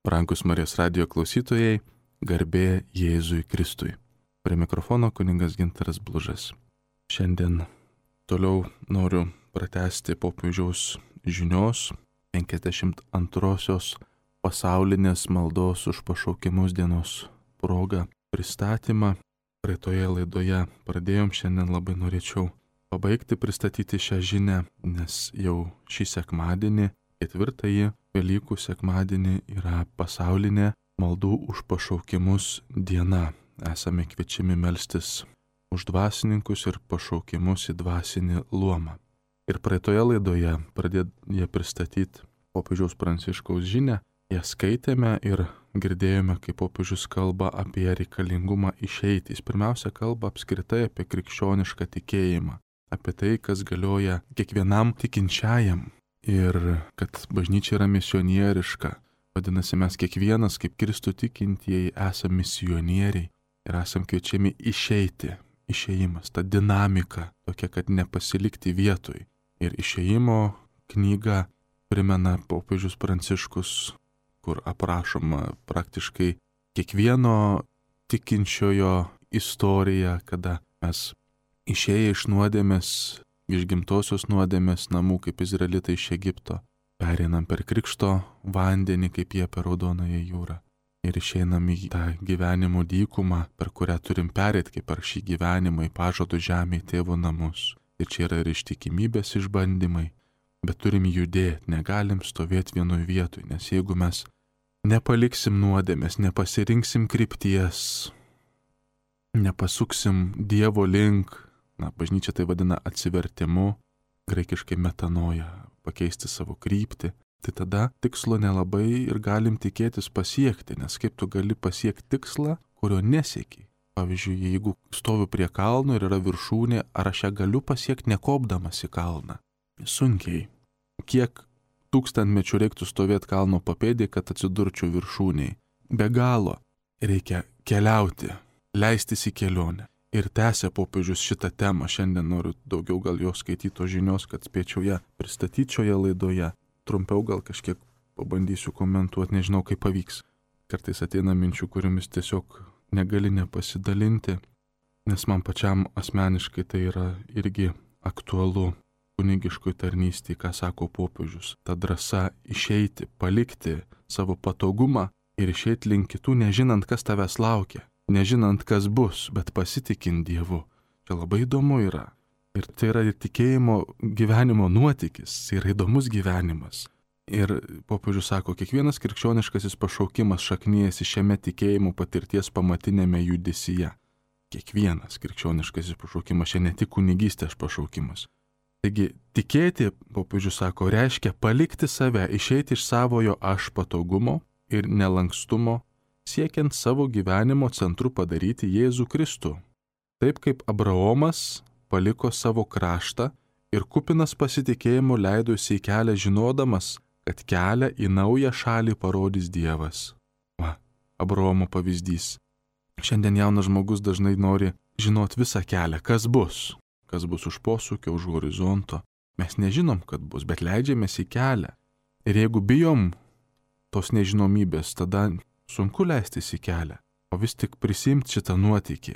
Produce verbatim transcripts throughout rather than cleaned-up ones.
Brangus Marijos radijo klausytojai, garbė Jėzui Kristui. Prie mikrofono kunigas Gintaras Blužas. Šiandien toliau noriu pratęsti popiežiaus žinios penkiasdešimt antrosios pasaulinės maldos už pašaukimus dienos proga pristatymą. Praeitoje laidoje pradėjom, šiandien labai norėčiau pabaigti pristatyti šią žinią, nes jau šį sekmadienį, ketvirtąjį Velykų sekmadienį, yra pasaulinė maldų už pašaukimus diena. Esame kviečiami melstis už dvasininkus ir pašaukimus į dvasinį luomą. Ir praeitoje laidoje pradėję pristatyti popiežiaus Pranciškaus žinią, ją skaitėme ir girdėjome, kaip popiežius kalba apie reikalingumą išeiti. Jis pirmiausia kalba apskritai apie krikščionišką tikėjimą, apie tai, kas galioja kiekvienam tikinčiajam. Ir kad bažnyčia yra misionieriška. Vadinasi, mes kiekvienas kaip Kristų tikintieji esame misionieriai ir esame kviečiami išeiti. Išėjimas, ta dinamika tokia, kad nepasilikti vietoj. Ir išėjimo knyga primena popiežius Pranciškus, kur aprašoma praktiškai kiekvieno tikinčiojo istorija, kada mes išėję iš nuodėmės, iš gimtosios nuodėmės namų, kaip izraelitai iš Egipto, pereinam per krikšto vandenį, kaip jie per Raudonąją jūrą. Ir išeinam į tą gyvenimo dykumą, per kurią turim perėti, kaip per šį gyvenimą, į pažadų žemę, į tėvo namus. Ir čia yra ir ištikimybės išbandymai, bet turim judėti, negalim stovėti vienoj vietoj, nes jeigu mes nepaliksim nuodėmės, nepasirinksim krypties, nepasuksim Dievo link, na, bažnyčia tai vadina atsivertimu, graikiškai metanoja, pakeisti savo kryptį, tai tada tikslo nelabai ir galim tikėtis pasiekti, nes kaip tu gali pasiekti tikslą, kurio nesiekiai. Pavyzdžiui, jeigu stoviu prie kalno ir yra viršūnė, ar aš ją galiu pasiekti nekopdamas į kalną? Sunkiai. Kiek tūkstantmečių reiktų stovėti kalno papėdėje, kad atsidurčiau viršūniai? Be galo. Reikia keliauti, leistis į kelionę. Ir tęsia popiežius šitą temą. Šiandien noriu daugiau gal jo skaityto žinios, kad spėčiau ją pristatyti šioje laidoje. Trumpiau gal kažkiek pabandysiu komentuoti, nežinau kaip pavyks. Kartais ateina minčių, kuriomis tiesiog negali nepasidalinti, nes man pačiam asmeniškai tai yra irgi aktualu kunigiškoj tarnystėje, ką sako popiežius. Ta drąsa išeiti, palikti savo patogumą ir išeiti link kitų, nežinant, kas tavęs laukia. Nežinant, kas bus, bet pasitikint Dievu. Čia labai įdomu yra. Ir tai yra ir tikėjimo gyvenimo nuotykis, tai yra įdomus gyvenimas. Ir popiežius sako, kiekvienas krikščioniškasis pašaukimas šaknyjasi šiame tikėjimo patirties pamatinėme judesyje. Kiekvienas krikščioniškasis pašaukimas, čia ne tik kunigystės pašaukimas. Taigi, tikėti, popiežius sako, reiškia palikti save, išeiti iš savojo aš patogumo ir nelankstumo, siekiant savo gyvenimo centru padaryti Jėzų Kristų. Taip kaip Abraomas paliko savo kraštą ir kupinas pasitikėjimo leidosi į kelią žinodamas, kad kelią į naują šalį parodys Dievas. Va, Abraomo pavyzdys. Šiandien jaunas žmogus dažnai nori žinot visą kelią, kas bus. Kas bus už posūkio, už horizonto. Mes nežinom, kad bus, bet leidžiamės į kelią. Ir jeigu bijom tos nežinomybės, tada sunku leistis į kelią, o vis tik prisimti šitą nuotykį.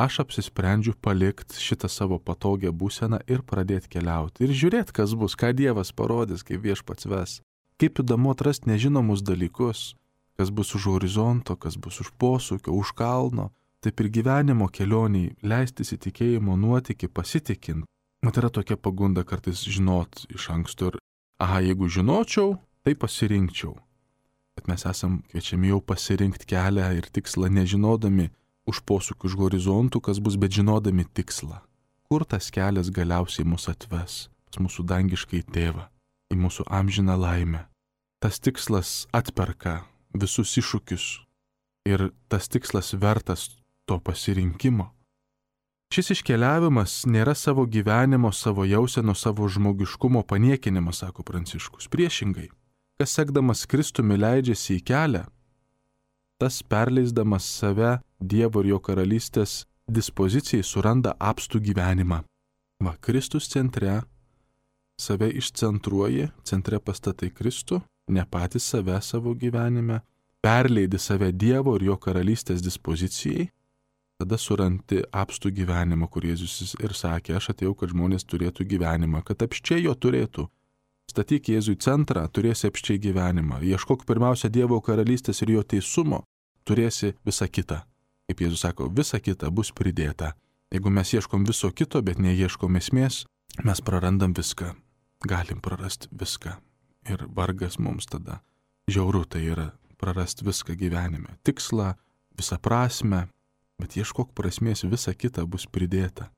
Aš apsisprendžiu palikti šitą savo patogią būseną ir pradėti keliauti. Ir žiūrėti, kas bus, ką Dievas parodys, kaip Viešpats ves. Kaip įdomu atrasti nežinomus dalykus, kas bus už horizonto, kas bus už posūkio, už kalno. Taip ir gyvenimo kelioniai leistis į tikėjimo nuotykį pasitikint. Mat yra tokia pagunda kartais žinot iš anksto ir, aha, jeigu žinočiau, tai pasirinkčiau. Bet mes esam kviečiami jau pasirinkti kelią ir tikslą, nežinodami už posūkių, už horizontų, kas bus, bet žinodami tikslą. Kur tas kelias galiausiai mus atves, pas mūsų dangiškai tėvą, į mūsų amžiną laimę. Tas tikslas atperka visus iššūkius ir tas tikslas vertas to pasirinkimo. Šis iškeliavimas nėra savo gyvenimo, savo jauseno, savo žmogiškumo paniekinimas, sako Pranciškus. Priešingai. Kas sekdamas Kristumi leidžiasi į kelią, tas perleisdamas save Dievo ir jo karalystės dispozicijai suranda apstų gyvenimą. Va, Kristus centre, save išcentruoji, centre pastatai Kristų, ne patys save savo gyvenime, perleidi save Dievo ir jo karalystės dispozicijai, tada surandi apstų gyvenimą, kur Jėzus ir sakė, aš atėjau, kad žmonės turėtų gyvenimą, kad apščiai jo turėtų. Statyk Jėzų į centrą, turėsi apščiai gyvenimą. Ieškok pirmiausia Dievo karalystės ir jo teisumo, turėsi visą kitą. Kaip Jėzus sako, visa kita bus pridėta. Jeigu mes ieškom viso kito, bet neieškom esmės, mes prarandam viską. Galim prarasti viską. Ir vargas mums tada. Žiauru tai yra prarasti viską gyvenime. Tikslą, visą prasme, bet ieškok prasmės, visa kita bus pridėta.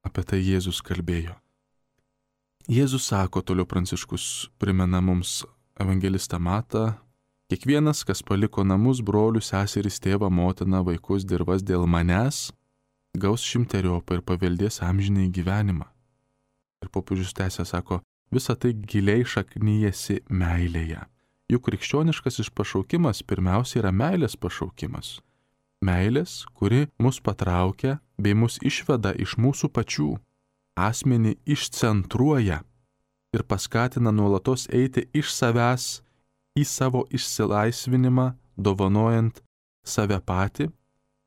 Apie tai Jėzus kalbėjo. Jėzus sako, toliau Pranciškus primena mums evangelistą Matą, kiekvienas, kas paliko namus, brolius, seseris, tėvą, motiną, vaikus, dirvas dėl manęs, gaus šimteriopą ir paveldės amžinai gyvenimą. Ir popiežius tęsia, sako, visa tai giliai šaknyjasi meilėje. Juk krikščioniškasis pašaukimas pirmiausia yra meilės pašaukimas. Meilės, kuri mus patraukia bei mus išveda iš mūsų pačių. Asmenį išcentruoja ir paskatina nuolatos eiti iš savęs į savo išsilaisvinimą, dovanojant save patį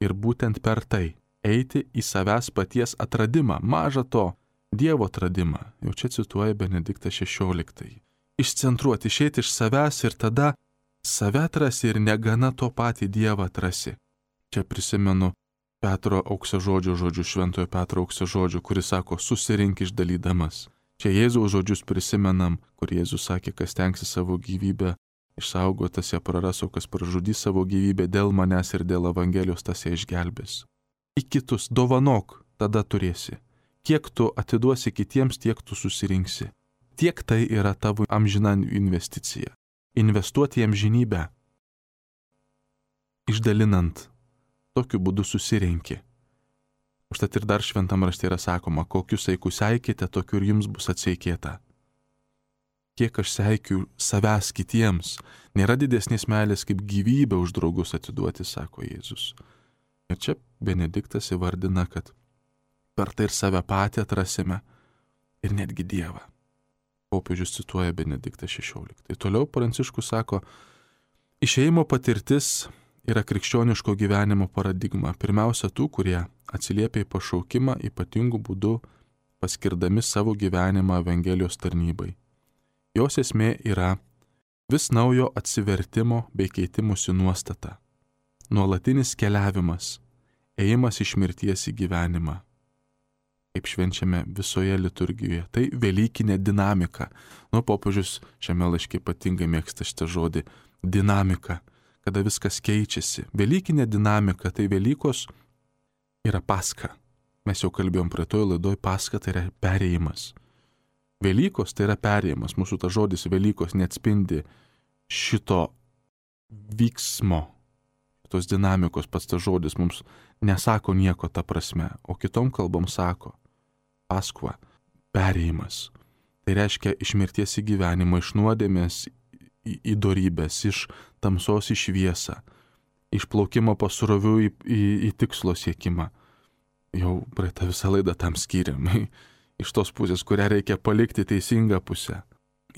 ir būtent per tai eiti į savęs paties atradimą, maža to, Dievo atradimą. Jau čia cituoja Benediktas šešioliktąjį. Išcentruoti, išeiti iš savęs ir tada save atrasi ir negana to patį Dievą atrasi. Čia prisimenu Petro auksažodžio žodžių, šventojo Petro auksažodžių, kuris sako, susirink išdalydamas. Čia Jėzaus žodžius prisimenam, kur Jėzus sakė, kas tenksi savo gyvybę išsaugoti, tas ją praras, o kas pražudys savo gyvybę dėl manęs ir dėl Evangelijos, tas ją išgelbės. Į kitus dovanok, tada turėsi. Kiek tu atiduosi kitiems, tiek tu susirinksi. Tiek tai yra tavo amžina investicija. Investuoti į amžinybę. Išdalinant. Tokiu būdu susirenki. Užtat ir dar šventam rašte yra sakoma, kokius saikus seikite, tokiu ir jums bus atseikėta. Kiek aš seikiu savęs kitiems, nėra didesnės meilės kaip gyvybę už draugus atiduoti, sako Jėzus. Ir čia Benediktas įvardina, kad per tai ir save patį atrasime ir netgi Dievą. Popiežius cituoja Benediktą šešioliktąjį. Toliau Pranciškus sako, išėjimo patirtis yra krikščioniško gyvenimo paradigma. Pirmiausia, tų, kurie atsiliepia į pašaukimą ypatingų būdų, paskirdami savo gyvenimą Evangelijos tarnybai. Jos esmė yra vis naujo atsivertimo bei keitimosi nuostata. Nuolatinis keliavimas, ėjimas iš mirties į gyvenimą. Kaip švenčiame visoje liturgijoje. Tai velykinė dinamika. Nu, popiežius šiame laiške ypatingai mėgsta šitą žodį – dinamika. Kada viskas keičiasi. Velykinė dinamika, tai Velykos yra Paska. Mes jau kalbėjom prie to laidoj, Paska tai yra perėjimas. Velykos tai yra perėjimas. Mūsų ta žodis Velykos neatspindi šito vyksmo, tos dinamikos, pats ta žodis mums nesako nieko ta prasme, o kitom kalbom sako Paskva, perėjimas. Tai reiškia iš mirties į gyvenimą, iš nuodėmės į, į dorybės, iš tamsos į šviesą, iš plaukimo pasrovių į, į, į tikslo siekimą. Jau praeitą visą laidą tam skiriam. Iš tos pusės, kurią reikia palikti teisingą pusę.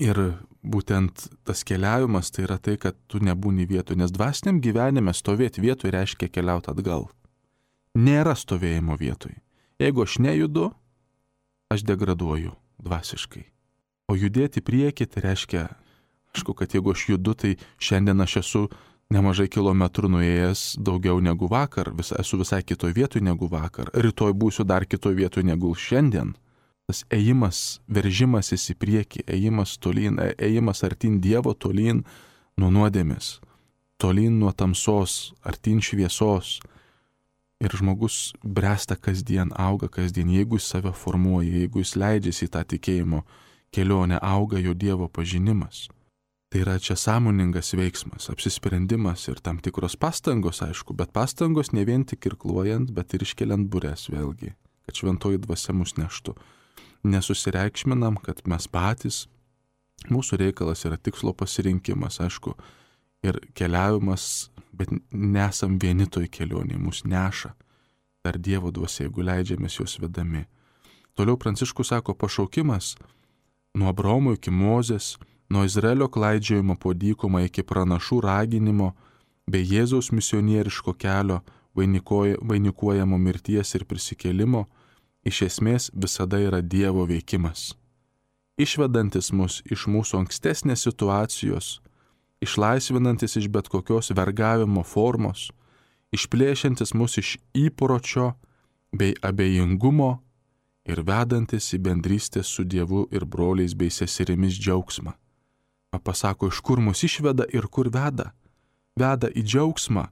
Ir būtent tas keliavimas tai yra tai, kad tu nebūni vietoj, nes dvasiniam gyvenime stovėti vietoj reiškia keliauti atgal. Nėra stovėjimo vietoj. Jeigu aš nejudu, aš degraduoju dvasiškai. O judėti priekį tai reiškia, aišku, kad jeigu aš judu, tai šiandien aš esu nemažai kilometrų nuėjęs daugiau negu vakar, vis, esu visai kitoj vietoj negu vakar, rytoj būsiu dar kitoj vietoj negu šiandien. Tas ėjimas, veržimasis į priekį, ėjimas tolyn, ėjimas artin Dievo, tolyn nuo nuodėmės, tolyn nuo tamsos, artin šviesos. Ir žmogus bręsta kasdien, auga kasdien, jeigu jis save formuoja, jeigu jis leidžiasi į tą tikėjimo kelionę, auga jo Dievo pažinimas. Tai yra čia sąmoningas veiksmas, apsisprendimas ir tam tikros pastangos, aišku, bet pastangos ne vien tik irkluojant, bet ir iškeliant bures vėlgi, kad šventoji dvasia mus neštų. Nesusireikšminam, kad mes patys, mūsų reikalas yra tikslo pasirinkimas, aišku, ir keliavimas, bet nesam vieni toj kelionėje, mus neša dar Dievo dvasia, jeigu leidžiamės jos vedami. Toliau Pranciškus sako, pašaukimas nuo Abraomo iki Mozės, nuo Izraelio klaidžiojimo po dykumą iki pranašų raginimo bei Jėzaus misionieriško kelio vainikuojamo mirties ir prisikėlimo iš esmės visada yra Dievo veikimas, išvedantis mus iš mūsų ankstesnės situacijos, išlaisvinantis iš bet kokios vergavimo formos, išplėšiantis mus iš įpročio bei abejingumo ir vedantis į bendrystę su Dievu ir broliais bei seserimis džiaugsmą. Pasako, iš kur mus išveda ir kur veda. Veda į džiaugsmą,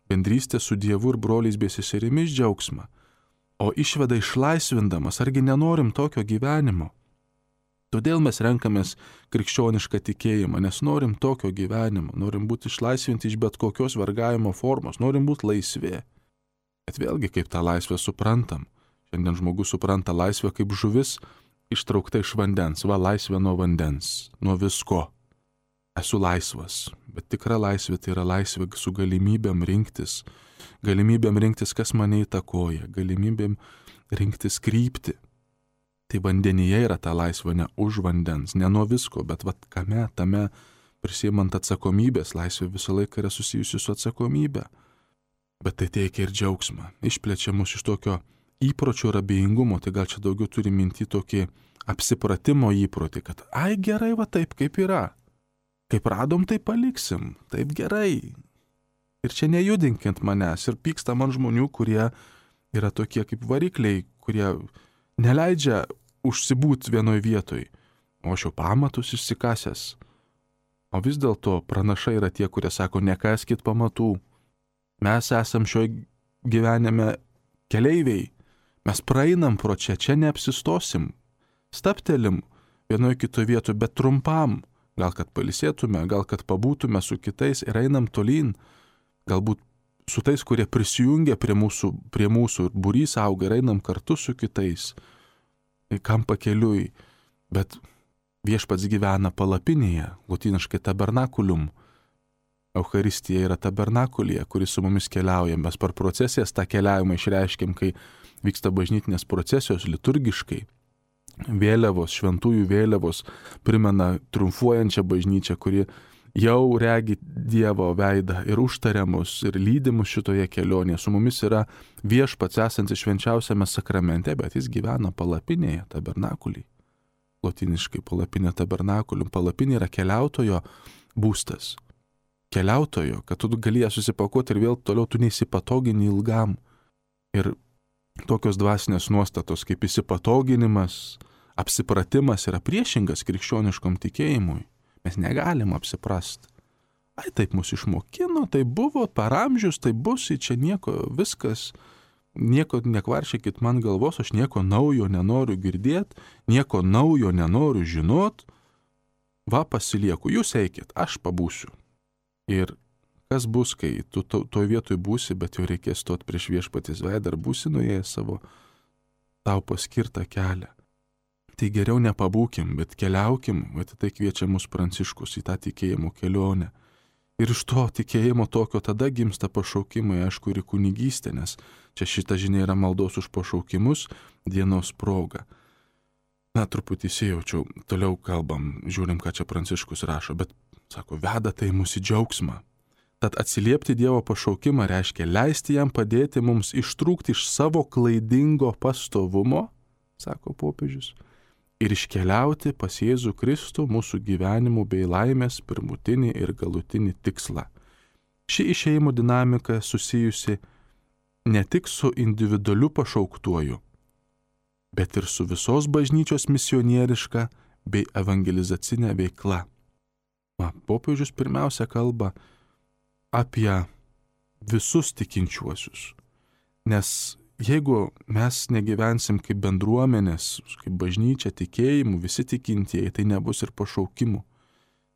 bendrystę su Dievu ir broliais bei seserimis džiaugsmą, o išveda išlaisvindamas, argi nenorim tokio gyvenimo. Todėl mes renkamės krikščionišką tikėjimą, nes norim tokio gyvenimo, norim būti išlaisvinti iš bet kokios vergavimo formos, norim būti laisvi. Bet vėlgi, kaip tą laisvę suprantam. Šiandien žmogus supranta laisvę kaip žuvis ištraukta iš vandens, va laisvė nuo vandens, nuo visko. Esu laisvas, bet tikra laisvė tai yra laisvė su galimybėm rinktis, galimybėm rinktis, kas mane įtakoja, galimybėm rinktis kryptį. Tai vandenyje yra ta laisvė, ne už vandens, ne nuo visko, bet vat kame, tame prisiimant atsakomybės, laisvė visą laiką yra susijusi su atsakomybė. Bet tai teikia ir džiaugsmą, išplečia mus iš tokio įpročio ir abejingumo, tai gal čia daugiau turi minti tokį apsipratimo įprotį, kad ai gerai va taip kaip yra, kaip radom tai paliksim, taip gerai. Ir čia nejudinkint manęs ir pyksta man žmonių, kurie yra tokie kaip varikliai, kurie neleidžia užsibūt vienoj vietoj, o aš jau pamatus išsikasęs. O vis dėlto pranašai yra tie, kurie sako, nekaskit pamatų. Mes esam šio gyvenime keleiviai, mes praeinam pro čia, čia neapsistosim, staptelim vienoje kitoje vietoje, bet trumpam, gal kad pailsėtume, gal kad pabūtume su kitais ir einam tolyn, galbūt su tais, kurie prisijungia prie mūsų, prie mūsų ir būrys auga ir einam kartu su kitais, kam pakeliui, bet viešpats gyvena palapinėje, lotyniškai tabernakulium. Eucharistija yra tabernakulėje, kuris su mumis keliauja. Mes per procesijas tą keliavimą išreiškiam, kai vyksta bažnytinės procesijos liturgiškai. Vėliavos, šventųjų vėliavos primena triumfuojančią bažnyčią, kuri jau regi Dievo veidą ir užtaria mus ir lydi mus šitoje kelionėje. Su mumis yra viešpats esantis švenčiausiame sakramente, bet jis gyvena palapinėje, tabernakulėje. Lotyniškai palapinė tabernakulium. Palapinė yra keliautojo būstas. Keliautojo, kad tu galėjai susipakuoti ir vėl toliau tu neįsipatogini ilgam. Ir tokios dvasinės nuostatos kaip įsipatoginimas, apsipratimas yra priešingas krikščioniškom tikėjimui. Mes negalim apsiprast. Ai, taip mus išmokino, tai buvo per amžius, tai bus, čia nieko, viskas, nieko nekvaršykit man galvos, aš nieko naujo nenoriu girdėti, nieko naujo nenoriu žinot, va pasilieku, jūs eikit, aš pabūsiu. Ir kas bus, kai tu to, toj vietoj būsi, bet jau reikės stot prieš viešpaties veidą ar būsi nuėjęs savo tau paskirtą kelią. Tai geriau nepabūkim, bet keliaukim, bet tai kviečia mus Pranciškus į tą tikėjimo kelionę. Ir iš to tikėjimo tokio tada gimsta pašaukimai, aišku, ir kunigystė, nes čia šita žinia yra maldos už pašaukimus dienos proga. Na, truputį įsijaučiau, toliau kalbam, žiūrim, ką čia Pranciškus rašo, bet sako, veda tai mūsų džiaugsmą. Tad atsiliepti Dievo pašaukimą reiškia leisti jam padėti mums ištrūkti iš savo klaidingo pastovumo, sako popiežius, ir iškeliauti pas Jėzų Kristų mūsų gyvenimų bei laimės pirmutinį ir galutinį tikslą. Ši išėjimo dinamika susijusi ne tik su individualiu pašauktuoju, bet ir su visos bažnyčios misionieriška bei evangelizacinė veikla. Va, popiežius pirmiausia kalba apie visus tikinčiuosius, nes jeigu mes negyvensim kaip bendruomenės, kaip bažnyčia tikėjimų, visi tikintieji, tai nebus ir pašaukimų.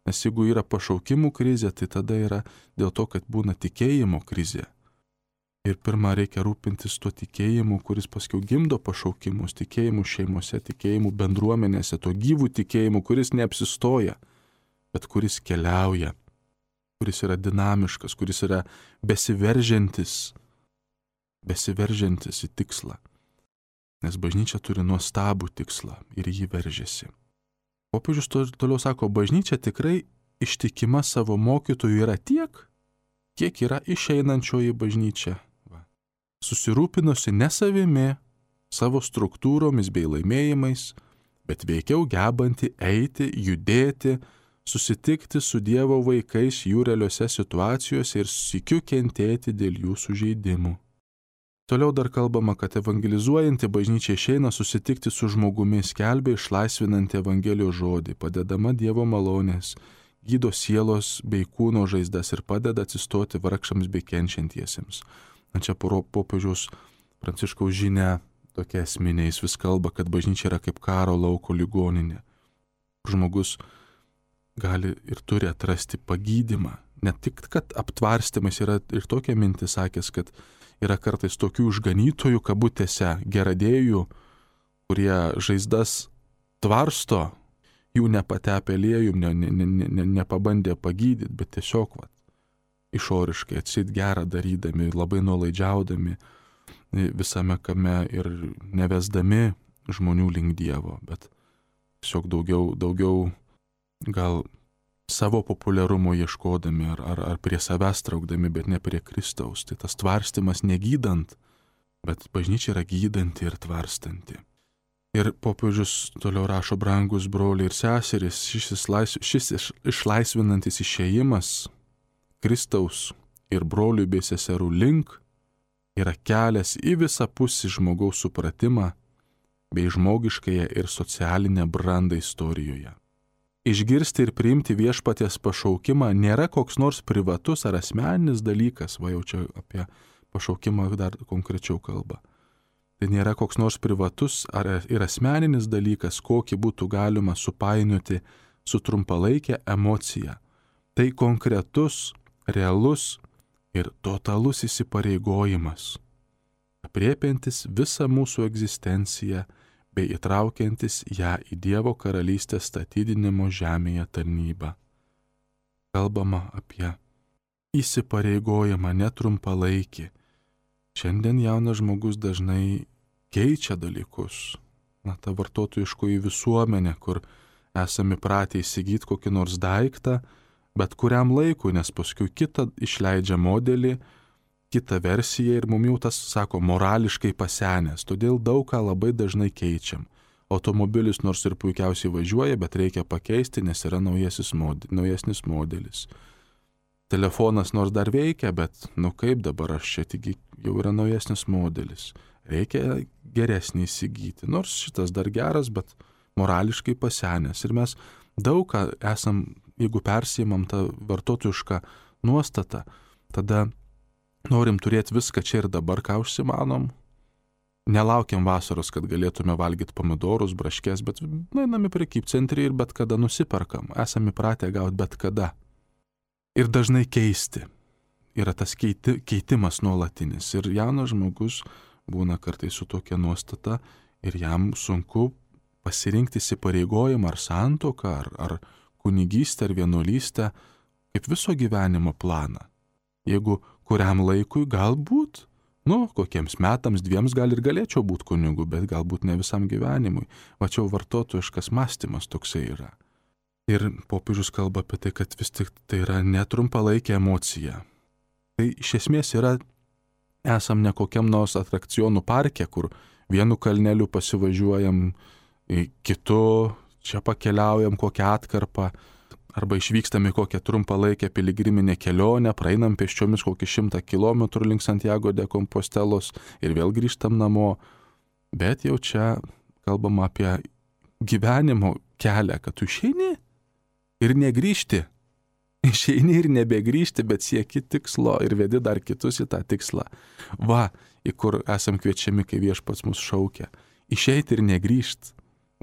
Nes jeigu yra pašaukimų krizė, tai tada yra dėl to, kad būna tikėjimo krizė. Ir pirmą reikia rūpintis tuo tikėjimu, kuris paskiau gimdo pašaukimus, tikėjimų šeimose, tikėjimų bendruomenėse, to gyvų tikėjimų, kuris neapsistoja, bet kuris keliauja, kuris yra dinamiškas, kuris yra besiveržiantis, besiveržiantis į tikslą. Nes bažnyčia turi nuostabų tikslą ir jį veržiasi. Popiežius toliau sako, bažnyčia tikrai ištikima savo mokytojų yra tiek, kiek yra išeinančioji bažnyčia. Va. Susirūpinusi ne savimi, savo struktūromis bei laimėjimais, bet veikiau gebanti eiti, judėti, susitikti su Dievo vaikais jų realiuose situacijose ir sykiu kentėti dėl jų sužeidimų. Toliau dar kalbama, kad evangelizuojanti bažnyčia išeina susitikti su žmogumi, skelbia išlaisvinantį Evangelijos žodį, padedama Dievo malonės, gydo sielos bei kūno žaizdas ir padeda atsistoti vargšams bei kenčiantiesiems. Na čia popiežiaus Pranciškaus žinia tokia esminė, jis vis kalba, kad bažnyčia yra kaip karo lauko ligoninė. Žmogus gali ir turi atrasti pagydymą. Ne tik, kad aptvarstymas yra ir tokia mintis sakęs, kad yra kartais tokių išganytojų kabutėse, geradėjų, kurie žaizdas tvarsto, jų nepatepė aliejum, ne, ne, ne, ne, nepabandė pagydyti, bet tiesiog va, išoriškai atsit gerą darydami, labai nuolaidžiaudami visame kame ir nevesdami žmonių link Dievo, bet tiesiog daugiau, daugiau gal savo populiarumo ieškodami ar, ar, ar prie savęs traukdami, bet ne prie Kristaus. Tai tas tvarstymas negydant, bet bažnyčia yra gydanti ir tvarstanti. Ir popiežius toliau rašo, brangus broliai ir seserys, šis, išlais, šis iš, išlaisvinantis išėjimas Kristaus ir brolių bei seserų link yra kelias į visapusį žmogaus supratimą bei žmogiškąją ir socialinę brandą istorijoje. Išgirsti ir priimti viešpaties pašaukimą nėra koks nors privatus ar asmeninis dalykas, va jau čia apie pašaukimą dar konkrečiau kalba. Tai nėra koks nors privatus ar ir asmeninis dalykas, kokį būtų galima supainioti su trumpalaikė emocija. Tai konkretus, realus ir totalus įsipareigojimas, apriepiantis visą mūsų egzistenciją bei įtraukiantis ją į Dievo karalystės statydinimo žemėje tarnybą. Kalbama apie įsipareigojimą netrumpalaikį. Šiandien jaunas žmogus dažnai keičia dalykus. Na, ta vartotojiškoji visuomenė, kur esame pratę įsigyti kokį nors daiktą, bet kuriam laikui, nes paskui kitą išleidžia modelį, kitą versiją ir mum jau tas, sako, morališkai pasenęs. Todėl daug ką labai dažnai keičiam. Automobilis nors ir puikiausiai važiuoja, bet reikia pakeisti, nes yra model, naujesnis modelis. Telefonas nors dar veikia, bet nu kaip dabar aš čia tik jau yra naujesnis modelis. Reikia geresnį įsigyti. Nors šitas dar geras, bet morališkai pasenęs. Ir mes daug ką esam, jeigu persijimam tą vartotojišką nuostatą, tada norim turėti viską čia ir dabar, ką užsimanom. Nelaukiam vasaros, kad galėtume valgyti pomidorus, braškės, bet nueinam į prekybcentrį ir bet kada nusiperkam. Esame įpratę gauti bet kada. Ir dažnai keisti. Yra tas keiti, keitimas nuolatinis. Ir jaunas žmogus būna kartais su tokia nuostata ir jam sunku pasirinkti įsipareigojimą ar santuoką, ar, ar kunigystę, ar vienuolystę kaip viso gyvenimo planą. Jeigu kuriam laikui galbūt, nu, kokiems metams, dviems gal ir galėčiau būti kunigu, bet galbūt ne visam gyvenimui. Va čia vartotojiškas mąstymas toksai yra. Ir popiežius kalba apie tai, kad vis tik tai yra netrumpalaikė emocija. Tai iš esmės yra, esam ne kokiam nors atrakcionų parke, kur vienu kalneliu pasivažiuojam, kitu čia pakeliaujam kokią atkarpą, arba išvykstam į kokią trumpalaikę piligriminę kelionę, praeinam pėsčiomis kokį šimtą kilometrų link Santiago de Compostelos ir vėl grįžtam namo. Bet jau čia kalbama apie gyvenimo kelią, kad tu išeini ir negrįžti. Išeini ir nebegrįžti, bet sieki tikslo ir vedi dar kitus į tą tikslą. Va, į kur esam kviečiami, kai viešpats mus šaukia. Išeiti ir negrįžti,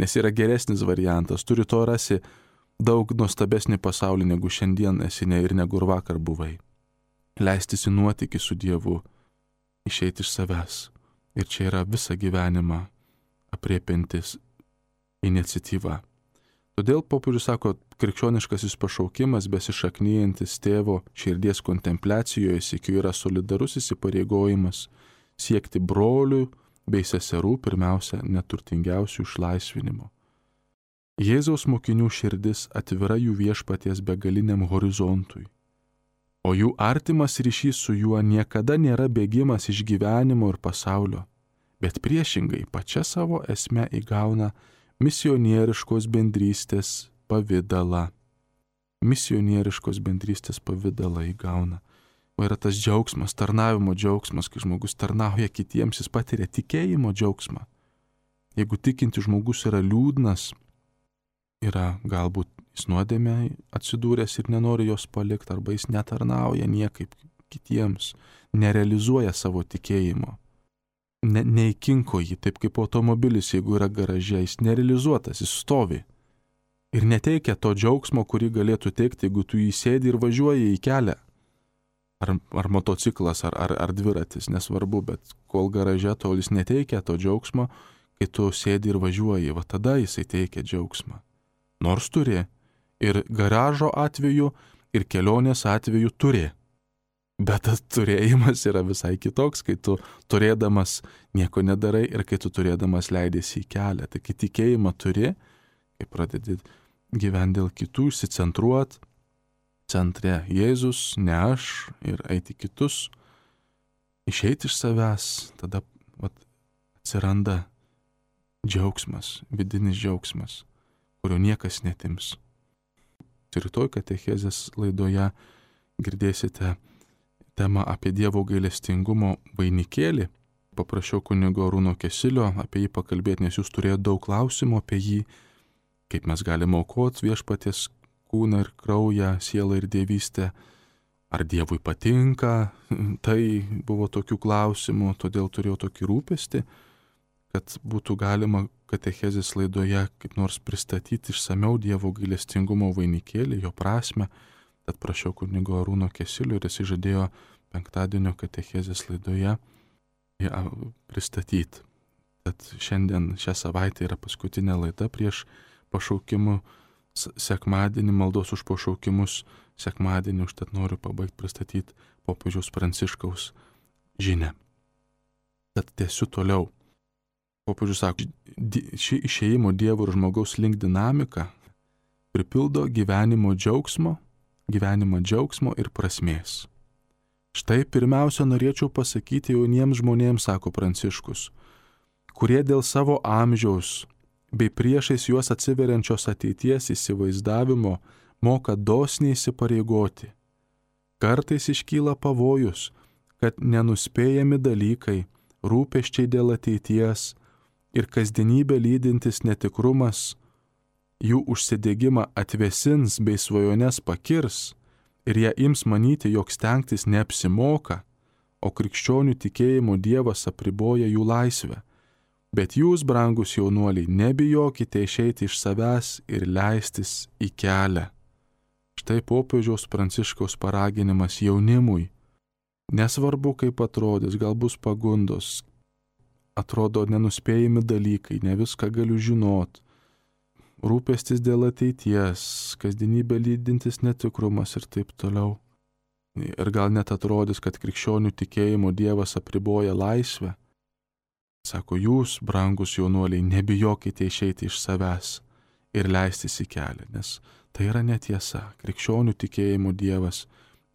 nes yra geresnis variantas. Turi to rasi daug nuostabesnį pasaulį, negu šiandien esi ne ir negu ir vakar buvai. Leistis į nuotykį su Dievu, išeiti iš savęs. Ir čia yra visą gyvenimą apriepiantis iniciatyva. Todėl popiežius sako, krikščioniškasis pašaukimas, besišaknyjantis tėvo širdies kontempliacijoje, sykiu yra solidarus įsipareigojimas siekti brolių bei seserų, pirmiausia, neturtingiausių išlaisvinimo. Jėzaus mokinių širdis atvira jų viešpaties begaliniam horizontui. o jų artimas ryšys su juo niekada nėra bėgimas iš gyvenimo ir pasaulio, bet priešingai pačia savo esme įgauna misionieriškos bendrystės pavidalą. Misionieriškos bendrystės pavidalą įgauna. O yra tas džiaugsmas, tarnavimo džiaugsmas, kai žmogus tarnauja kitiems, jis patiria tikėjimo džiaugsmą. Jeigu tikinti žmogus yra liūdnas, yra galbūt jis nuodėmė atsidūręs ir nenori jos palikti, arba jis netarnauja niekaip kitiems, nerealizuoja savo tikėjimo. Ne, neįkinko jį, taip kaip automobilis, jeigu yra garaže, jis nerealizuotas, jis stovi. Ir neteikia to džiaugsmo, kurį galėtų teikti, jeigu tu jį sėdi ir važiuoji į kelią. Ar, ar motociklas, ar, ar, ar dviratis, nesvarbu, bet kol garaže, tol jis neteikia to džiaugsmo, kai tu sėdi ir važiuoji, va tada jisai teikia džiaugsmą. Nors turi. Ir garažo atveju, ir kelionės atveju turi. Bet tas turėjimas yra visai kitoks, kai tu turėdamas nieko nedarai ir kai tu turėdamas leidėsi į kelią. Tai kai tikėjimą turi, kai pradedi gyventi dėl kitų, išsicentruot, centre Jėzus, ne aš, ir eiti kitus, išeiti iš savęs, tada vat, atsiranda džiaugsmas, vidinis džiaugsmas, kurio niekas netims. Rytoj katechezės laidoje girdėsite temą apie Dievo gailestingumo vainikėlį. Paprašiau kunigo Arūno Kesilio apie jį pakalbėti, nes jūs turėjote daug klausimų apie jį, kaip mes galime aukoti viešpaties kūną ir kraują, sielą ir dievystę. Ar Dievui patinka? Tai buvo tokių klausimų, todėl turėjau tokį rūpestį, kad būtų galima katechezės laidoje kaip nors pristatyti išsameu Dievo gailestingumo vainikėlį, jo prasme. Tad prašiau kunigo Arūno Kesilio ir jis žadėjo penktadienio katechezės laidoje ją pristatyti. Tad šiandien šią savaitę yra paskutinė laida prieš pašaukimų sekmadienį, maldos už pašaukimus sekmadienį, užtat noriu pabaigti pristatyti popiežiaus Pranciškaus žinią. Tad tęsiu toliau. Popiežius sako, ši išėjimo Dievo ir žmogaus link dinamika pripildo gyvenimo džiaugsmo, gyvenimo džiaugsmo ir prasmės. Štai pirmiausia norėčiau pasakyti jauniems žmonėms, sako Pranciškus, kurie dėl savo amžiaus bei priešais juos atsiveriančios ateities įsivaizdavimo moka dosniai įsipareigoti. Kartais iškyla pavojus, kad nenuspėjami dalykai, rūpesčiai dėl ateities ir kasdienybę lydintis netikrumas jų užsidegimą atvesins bei svajones pakirs ir jie ims manyti, jog stengtis neapsimoka, o krikščionių tikėjimo Dievas apriboja jų laisvę. Bet jūs, brangus jaunuoliai, nebijokite išeiti iš savęs ir leistis į kelią. Štai popiežiaus Pranciškaus paraginimas jaunimui. Nesvarbu, kaip atrodys, gal bus pagundos, atrodo nenuspėjami dalykai, ne viską galiu žinot. Rūpestis dėl ateities, kasdienybę lydintis netikrumas ir taip toliau. Ir gal net atrodys, kad krikščionių tikėjimo Dievas apriboja laisvę. Sako, jūs, brangus jaunuoliai, nebijokite išeiti iš savęs ir leistis į kelią, nes tai yra netiesa. Krikščionių tikėjimo Dievas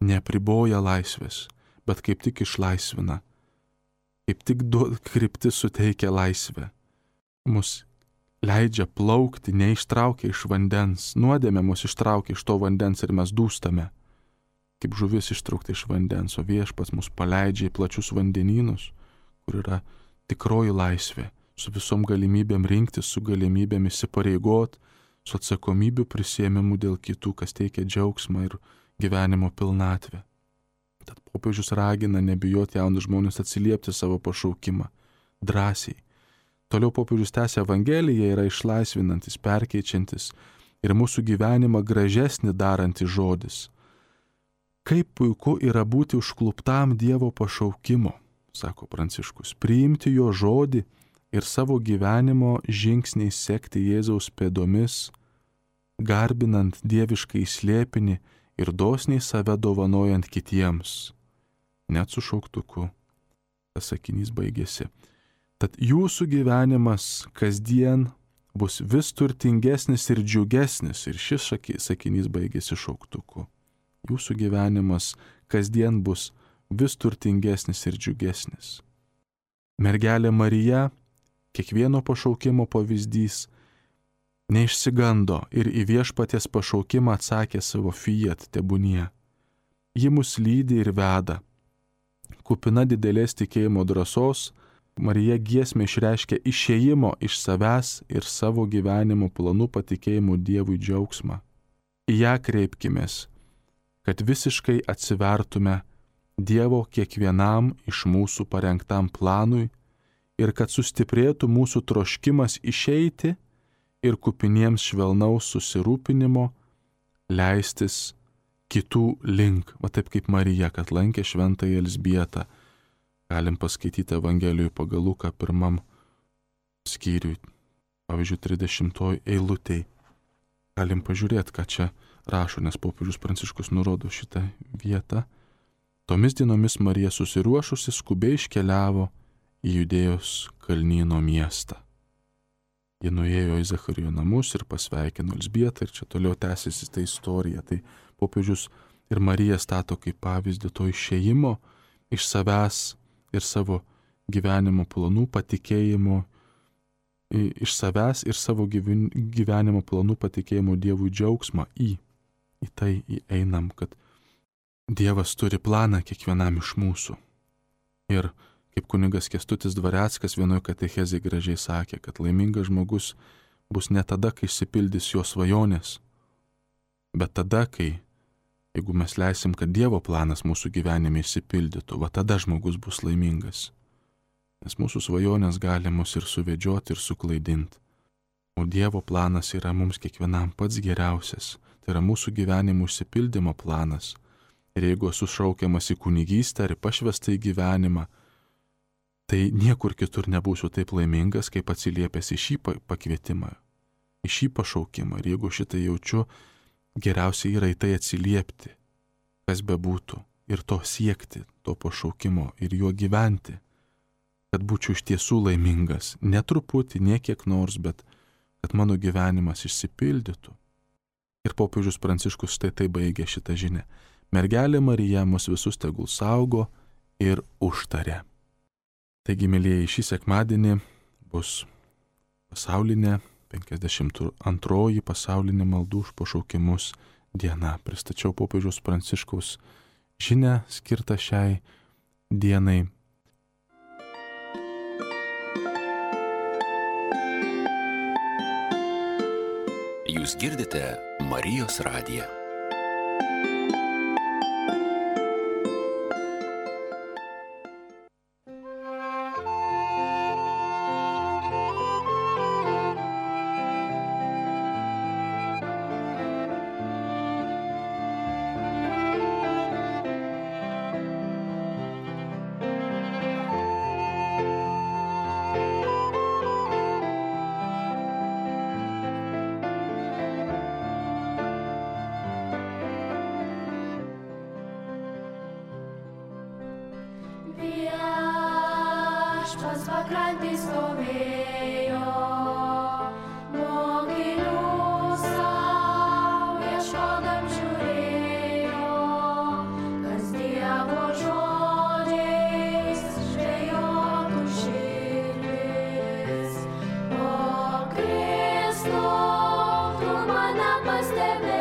neapriboja laisvės, bet kaip tik išlaisvina. Kaip tik kryptis suteikia laisvę. Mus leidžia plaukti, neištraukia iš vandens. Nuodėmė mus ištraukia iš to vandens ir mes dūstame. Kaip žuvis ištraukta iš vandens, o viešpats mus paleidžia į plačius vandenynus, kur yra tikroji laisvė, su visom galimybėm rinktis, su galimybėm įsipareigot, su atsakomybių prisėmimu dėl kitų, kas teikia džiaugsmą ir gyvenimo pilnatvę. Tad popiežius ragina nebijoti jaunus žmonės atsiliepti savo pašaukimą, drąsiai. Toliau popiežius tęsia Evangeliją, yra išlaisvinantis, perkeičiantis ir mūsų gyvenimą gražesnį darantis žodis. Kaip puiku yra būti užkluptam Dievo pašaukimo, sako Pranciškus, priimti jo žodį ir savo gyvenimo žingsniais sekti Jėzaus pėdomis, garbinant dieviškai slėpinį ir dosniai save dovanojant kitiems. Net su šauktuku. Tas sakinys baigėsi. Tad jūsų gyvenimas kasdien bus vis turtingesnis ir džiugesnis. Ir šis sakinys baigėsi šauktuku. Jūsų gyvenimas kasdien bus vis turtingesnis ir džiugesnis. Mergelė Marija, kiekvieno pašaukimo pavyzdys, neišsigando ir į viešpaties pašaukimą atsakė savo fiat tebūnie. Ji mus lydi ir veda. Kupina didelės tikėjimo drąsos, Marija giesmė išreiškia išėjimo iš savęs ir savo gyvenimo planų patikėjimų Dievui džiaugsmą. Į ją kreipkimės, kad visiškai atsivertume Dievo kiekvienam iš mūsų parengtam planui ir kad sustiprėtų mūsų troškimas išeiti ir kupiniems švelnaus susirūpinimo leistis kitų link, va taip kaip Marija, kad lankė šventąją Elzbietą. Galim paskaityti Evangelijų pagal Luką pirmam skyriui, pavyzdžiui, trisdešimtoj eilutėj. Galim pažiūrėti, ką čia rašo, nes popiežius Pranciškus nurodo šitą vietą. Tomis dienomis Marija susiruošusi skubiai iškeliavo į Judėjos kalnyno miestą. Ji nuėjo į Zacharijo namus ir pasveikino Elzbietą ir čia toliau tęsiasi ta istorija. Tai popiežius ir Marija stato kaip pavyzdį to išėjimo iš savęs ir savo gyvenimo planų patikėjimo, iš savęs ir savo gyvenimo planų patikėjimo Dievui džiaugsmą į, į tai įeinam, kad Dievas turi planą kiekvienam iš mūsų. Ir kaip kunigas Kęstutis Dvareckas vienoje katechezėje gražiai sakė, kad laimingas žmogus bus ne tada, kai išsipildys jo svajonės, bet tada, kai, jeigu mes leisim, kad Dievo planas mūsų gyvenime išsipildytų, va tada žmogus bus laimingas. Nes mūsų svajonės gali mus ir suvedžioti, ir suklaidinti. O Dievo planas yra mums kiekvienam pats geriausias. Tai yra mūsų gyvenimo išsipildymo planas. Ir jeigu esu šaukiamas į kunigystę ar į pašvestą į gyvenimą, tai niekur kitur nebūsiu taip laimingas, kaip atsiliepęs į šį pakvietimą, į šį pašaukimą. Ir jeigu šitą jaučiu, geriausia yra į tai atsiliepti, kas bebūtų, ir to siekti, to pašaukimo, ir juo gyventi, kad būčiau iš tiesų laimingas, ne truputį, ne kiek nors, bet kad mano gyvenimas išsipildytų. Ir popiežius Pranciškus štai tai baigė šitą žinią. Mergelė Marija mus visus tegul saugo ir užtaria. Taigi, mėlyjeji, šį sekmadienį bus pasaulinė penkiasdešimt antroji pasaulinė maldų už pašaukimus diena. Pristačiau popiežiaus Pranciškaus žinią skirtą šiai dienai. Jūs girdite Marijos radiją. Viešpats pakrantės stovėjo, mokinių sau ieškodam žiūrėjo, kas Dievo žodžiais žvejotų širdis. O Kristau, tu mane pastebėjai,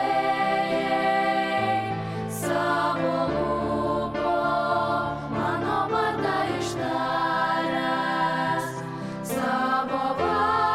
savo lūpom mano vardą ištaręs, savo vardą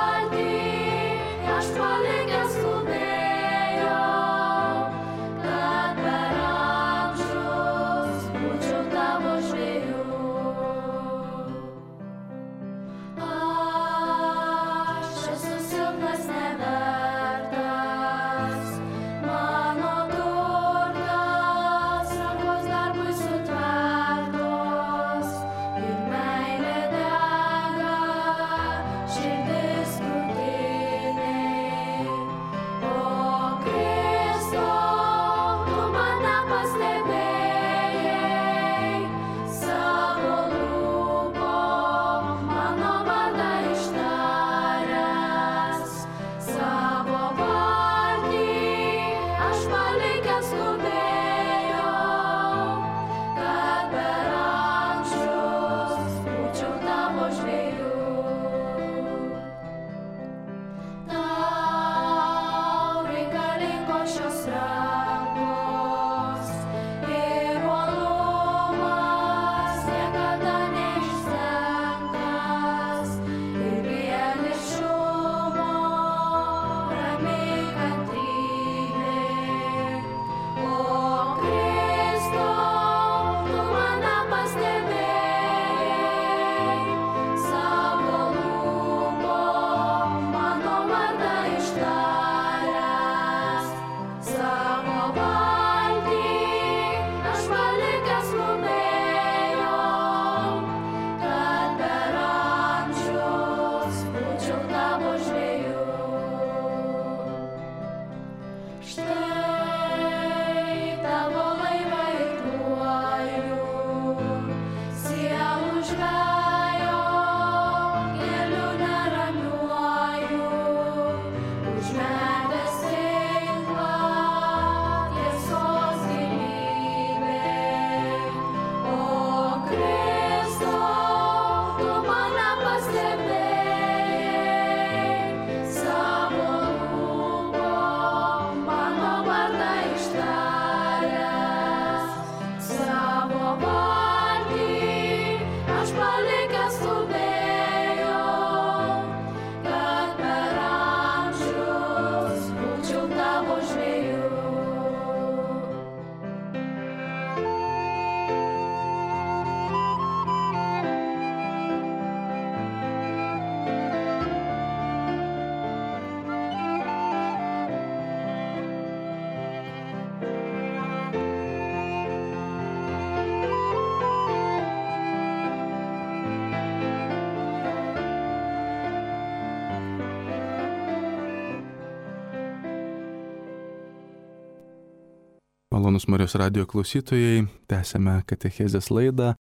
Malonus Marijos radijo klausytojai, tęsėme katechezės laidą,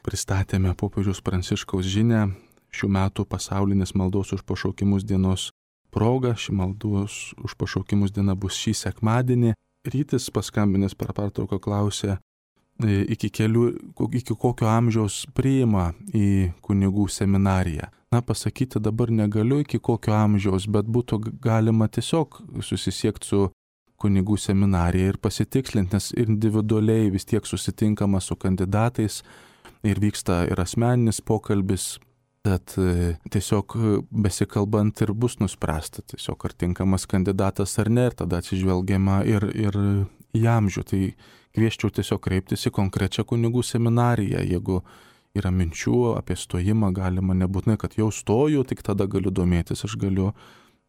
pristatėme popiežiaus Pranciškaus žinią šių metų pasaulinės maldos už pašaukimus dienos proga. Ši maldos už pašaukimus diena bus šį sekmadienį. Rytis paskambinęs per pertrauką klausė, iki, kelių, iki kokio amžiaus priima į kunigų seminariją. Na, pasakyti dabar negaliu iki kokio amžiaus, bet būtų galima tiesiog susisiekti su kunigų seminarija ir pasitikslinti, nes individualiai vis tiek susitinkama su kandidatais ir vyksta ir asmeninis pokalbis, tad tiesiog besikalbant ir bus nuspręsta, tiesiog ar tinkamas kandidatas ar ne, ir tada atsižvelgiama ir, ir į amžių. Tai kvieščiau tiesiog kreiptis į konkrečią kunigų seminariją, jeigu yra minčių apie stojimą, galima nebūtinai, kad jau stoju, tik tada galiu domėtis, aš galiu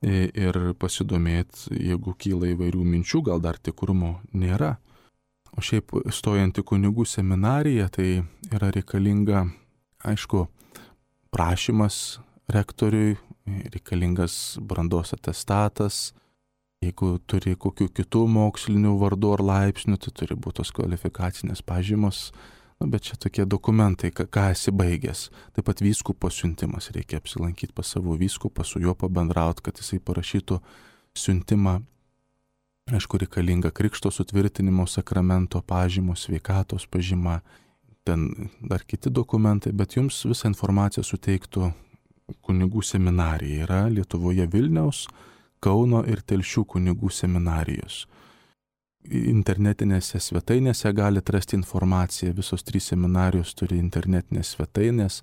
ir pasidomėti, jeigu kyla įvairių minčių, gal dar tikrumo nėra. O šiaip stojant į kunigų seminariją, tai yra reikalinga, aišku, prašymas rektoriui, reikalingas brandos atestatas, jeigu turi kokių kitų mokslinių vardų ar laipsnių, tai turi būti tos kvalifikacinės pažymos. Nu, bet čia tokie dokumentai, ką, ką esi baigęs. Taip pat vyskupo siuntimas, reikia apsilankyti pas savo vyskupą, su juo pabendrauti, kad jisai parašytų siuntimą. Aišku, reikalinga krikšto sutvirtinimo sakramento pažymos, sveikatos pažyma, ten dar kiti dokumentai, bet jums visą informaciją suteiktų kunigų seminarija. Yra Lietuvoje Vilniaus, Kauno ir Telšių kunigų seminarijos. Internetinėse svetainėse galite rasti informaciją, visos trys seminarijos turi internetinės svetainės,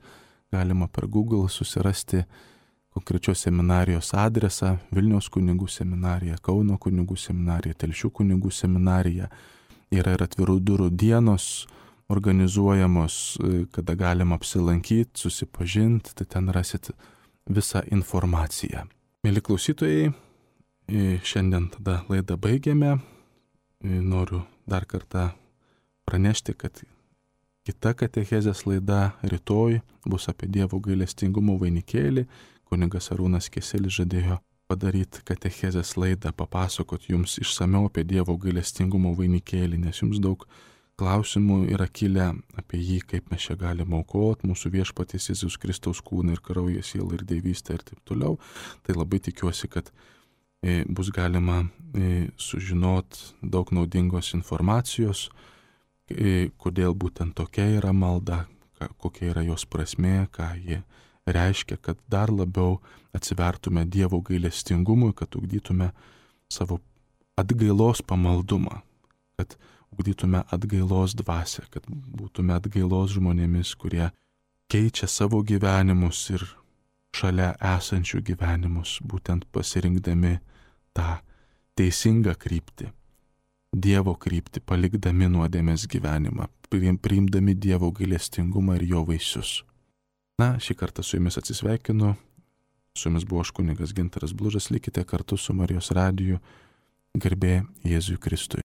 galima per Google susirasti konkrečios seminarijos adresą, Vilniaus kunigų seminarija, Kauno kunigų seminarija, Telšių kunigų seminarija. Yra ir atvirų durų dienos organizuojamos, kada galima apsilankyti, susipažinti, tai ten rasit visą informaciją. Mėly klausytojai, šiandien tada laidą baigėme. Noriu dar kartą pranešti, kad kita katechezės laida rytoj bus apie Dievo gailestingumo vainikėlį. Kunigas Arūnas Keselis žadėjo padaryti katechezės laidą, papasakot jums išsamiau apie Dievo gailestingumo vainikėlį, nes jums daug klausimų yra kilę apie jį, kaip mes čia galime aukoti mūsų viešpaties Jėzaus Kristaus kūną ir kraują, sielą ir dievystę ir taip toliau. Tai labai tikiuosi, kad bus galima sužinoti daug naudingos informacijos, kodėl būtent tokia yra malda, kokia yra jos prasmė, ką ji reiškia, kad dar labiau atsivertume Dievo gailestingumui, kad ugdytume savo atgailos pamaldumą, kad ugdytume atgailos dvasią, kad būtume atgailos žmonėmis, kurie keičia savo gyvenimus ir šalia esančių gyvenimus, būtent pasirinkdami tą teisingą kryptį, Dievo kryptį, palikdami nuodėmės gyvenimą, priimdami Dievo gailestingumą ir jo vaisius. Na, šį kartą su jumis atsisveikinu. Su jumis buvo aš kunigas Gintaras Blužas, likite kartu su Marijos radiju. Garbė Jėzui Kristui.